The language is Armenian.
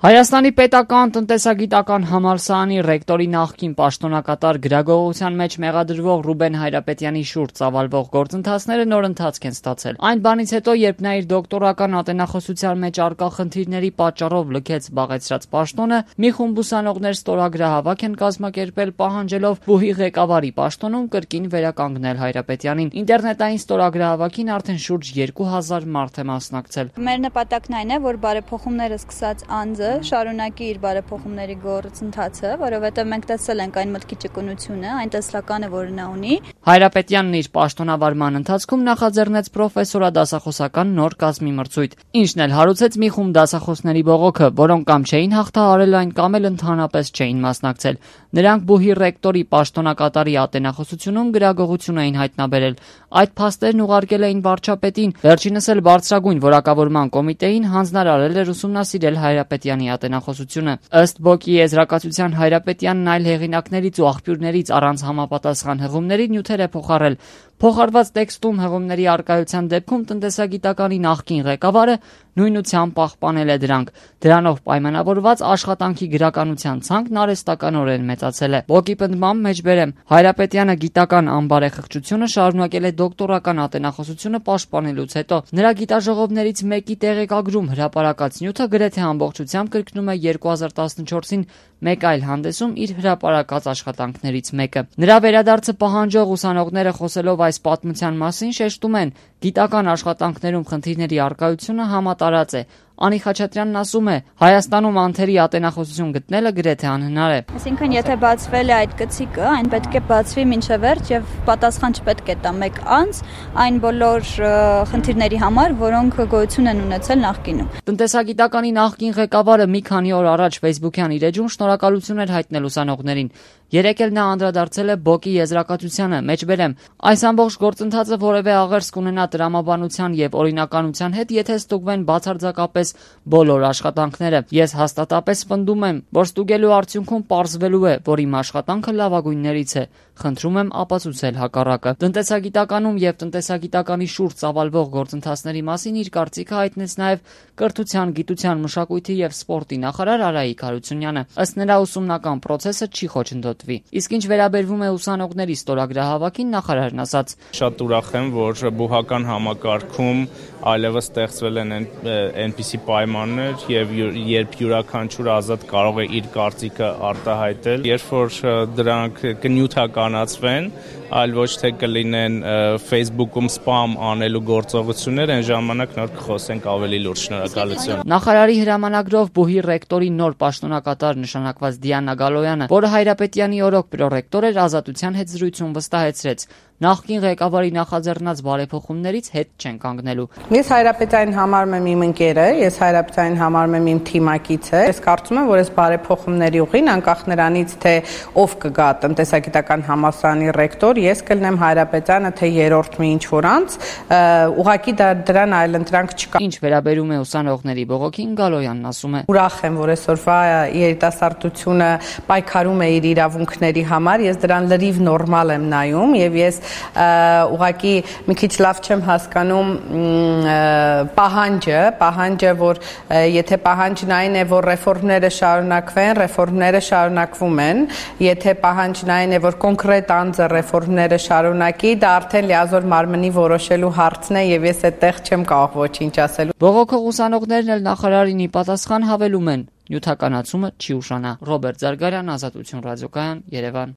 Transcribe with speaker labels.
Speaker 1: Հայաստանի պետական տնտեսագիտական համալսարանի ռեկտորի նախկին պաշտոնակատար գրագողության մեջ մեղադրվող Ռուբեն Հայրապետյանի շուրջ ծավալվող գործընթացները նոր ընթացք են ստացել։ Այն բանից հետո, երբ նա իր դոկտորական ատենախոսության մեջ առկա խնդիրների պատճառով լքեց զբաղեցրած պաշտոնը, մի խումբ ուսանողներ ստորագրահավաք են կազմակերպել, պահանջելով բուհի ղեկավարի պաշտոնում կրկին վերականգնել Հայրապետյանին։ Ինտերնետային ստորագրահավաքին արդեն շուրջ 2000 մարդ է մասնակցել։
Speaker 2: Մեր նպատակն այն է, որ բարեփոխումները սկսած անձը շարունակի իր բարեփոխումների գործընթացը, որովհետև մենք տեսել ենք այն մտքի ճկունությունը, այն տեսլականը, որ նա ունի։
Speaker 1: Հայրապետյանն իր պաշտոնավարման ընթացքում նախաձեռնեց պրոֆեսորադասախոսական նոր կազմի մրցույթ, ինչն էլ հարուցեց մի խումբ դասախոսների բողոքը, որոնք կամ չէին հաղթահարել այն, կամ էլ ընդհանրապես չէին մասնակցել։ Նրանք բուհի ռեկտորի պաշտոնակատարի ատենախոսությունում գրագողություն էին հայտնաբերել։ Այդ փաստերն ուղարկել էին վարչապետին, վերջինս էլ բարձրագույն որակավորման կոմիտեին հանձնարարել էր ուսումնասիրել Հայրապետյանի ատենախոսությունը։ Ըստ ԲՕԿ-ի եզրակացության Հայրապետյանն այլ հեղինակներից ու աղբյուրներից առանց համապատասխան հղումների նյութեր է փոխարել։ Փոխարված տեքստում հղումների առկայության դեպքում տնտեսագիտականի նախկին ղեկավարը նույնությամբ պահպանել է դրանք։ Դրանով պայմանավորված աշխատանքի գրականության ցանկն արհեստականորեն մեծացել է։ ԲՕԿ-ի պնդմամբ մեջբերեմ Հայրապետյանը գիտական անբարեխղճությունը շարունակել է դոկտորական ատենախոսությունը պաշտպանելուց հետո։ Նրա գիտաժողովներից մեկի տեղեկագրում հրապարակած նյութը գրեթե ամբողջությամբ կրկնում է 2014-ին մեկ այլ հանդեսում իր հրապարակած աշխատանքներից մեկը։ Նրա վերադարձը պահանջող ուսանողները խոսելով այս պատմության մասին շեշտում են, գիտական աշխատանքներում խնդիրների առկայությունը համատարած է։ Անի Խաչատրյանն ասում է, Հայաստանում անթերի ատենախոսություն գտնելը գրեթե անհնար է։
Speaker 2: Այսինքն, եթե բացվել է այդ գծիկը, այն պետք է բացվի մինչև վերջ եւ պատասխան չպետք է տա մեկ անձ այն բոլոր խնդիրների համար, որոնք գոյություն են ունեցել նախկինում։
Speaker 1: Տնտեսագիտականի նախկին ղեկավարը մի քանի օր առաջ Facebook-յան իր էջում շնորհակալություններ հայտնել ուսանողներին։ Երեկ էլ նա անդրադարձել է ԲՕԿ-ի եզրակացությանը, մեջբերեմ, այս ամբողջ գործընթացը որևէ աղերս կունենա տրամաբանության եւ օրինականության հետ, եթե ստուգվեն բացարձակապես բոլոր աշխատանքները։ Ես հաստատապես պնդում եմ, որ ստուգելու արդյունքում պարզվելու է, որ իմ աշխատանքը լավագույններից է։ Խնդրում եմ ապացուցել հակառակը։ Տնտեսագիտականում եւ տնտեսագիտականի շուրջ ծավալվող գործընթացների մասին իր կարծիքը հայտնեց նաեւ Կրթության, գիտության, մշակույթի եւ սպորտի նախարար Արայիկ Հարությունյանը։ Ըստ նրա, ուսումնական process-ը չի խոչընդոտվի։ Իսկ ինչ վերաբերվում է ուսանողների ստորագրահավաքին, նախարարն ասաց.
Speaker 3: Շատ ուրախ եմ, որ բուհական համակարգում այլևս ստեղծվել են այնպիսի պայմաններ եւ երբ յուրաքանչյուր ազատ կարող է իր կարծիքը արտահայտել, երբ որ դրանք կնյութականացվեն, այլ ոչ թե կլինեն Facebook-ում spam անելու գործողություններ, այն ժամանակ նոր կխոսենք ավելի լուրջ։ Շնորհակալություն։
Speaker 1: Նախարարի հրամանագրով բուհի ռեկտորի նոր պաշտոնակատար նշանակված Դիանա Գալոյանը, որը Հայրապետյանի օրոք պրոռեկտոր էր, Ազատության հետ զրույցում վստահեցրեց. նախկին ղեկավարի նախաձեռնած բարեփոխումներից հետ չեն կանգնելու։
Speaker 4: Ես Հայրապետյանին համարում եմ իմ ընկերը, ես Հայրապետյանին համարում եմ իմ թիմակիցը։ Ես կարծում եմ, որ այս բարեփոխումների ուղին, անկախ նրանից, թե ով կգա տնտեսագիտական համալսարանի ռեկտոր, ես կլինեմ Հայրապետյանը, թե երրորդ մի ինչ-որ անձ, ուղղակի դրան այլընտրանք չկա։
Speaker 1: Ինչ վերաբերում է ուսանողների բողոքին, Գալոյանն ասում է.
Speaker 4: Ուրախ եմ, որ այսօրվա երիտասարդությունը պայքարում է իր իրավունքների համար, ես դրան լրիվ նորմալ եմ նայում եւ ես ուղղակի մի քիչ լավ չեմ հասկանում պահանջը, որ եթե պահանջն այն է, որ ռեֆորմները շարունակվեն, ռեֆորմները շարունակվում են, եթե պահանջն այն է, որ կոնկրետ անձը ռեֆորմները շարունակի, դա արդեն լիազոր մարմնի որոշելու հարցն է եւ ես այդտեղ չեմ կարող ոչինչ ասել։
Speaker 1: Բողոքող ուսանողներն էլ նախարարին ի պատասխան հավելում են. նյութականացումը չի ուշանա։ Ռոբերտ Զարգարյան, Ազատություն ռադիոկայան, Երևան։